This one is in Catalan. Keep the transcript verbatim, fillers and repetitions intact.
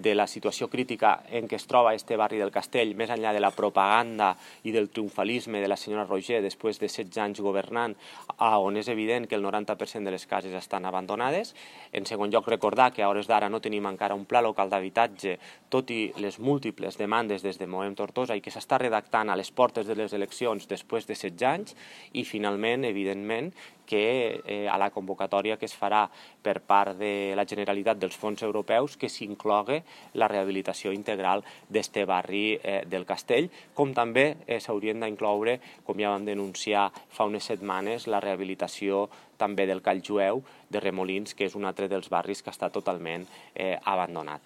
de la situació crítica en què es troba este barri del Castell, més enllà de la propaganda i del triomfalisme de la senyora Roger després de setze anys governant, on és evident que el noranta per cent de les cases estan abandonades. En segon lloc, recordar que a hores d'ara no tenim encara un pla local d'habitatge, tot i les múltiples demandes des de Movem Tortosa i que s'està redactant a les portes de les eleccions després de setze anys. I finalment, evidentment, que eh, a la convocatòria que es farà per part de la Generalitat dels fons europeus que s'inclogui la rehabilitació integral d'este barri eh, del Castell, com també eh, s'haurien d'incloure, com ja vam denunciar fa unes setmanes, la rehabilitació també del Call Jueu de Remolins, que és un altre dels barris que està totalment eh, abandonat.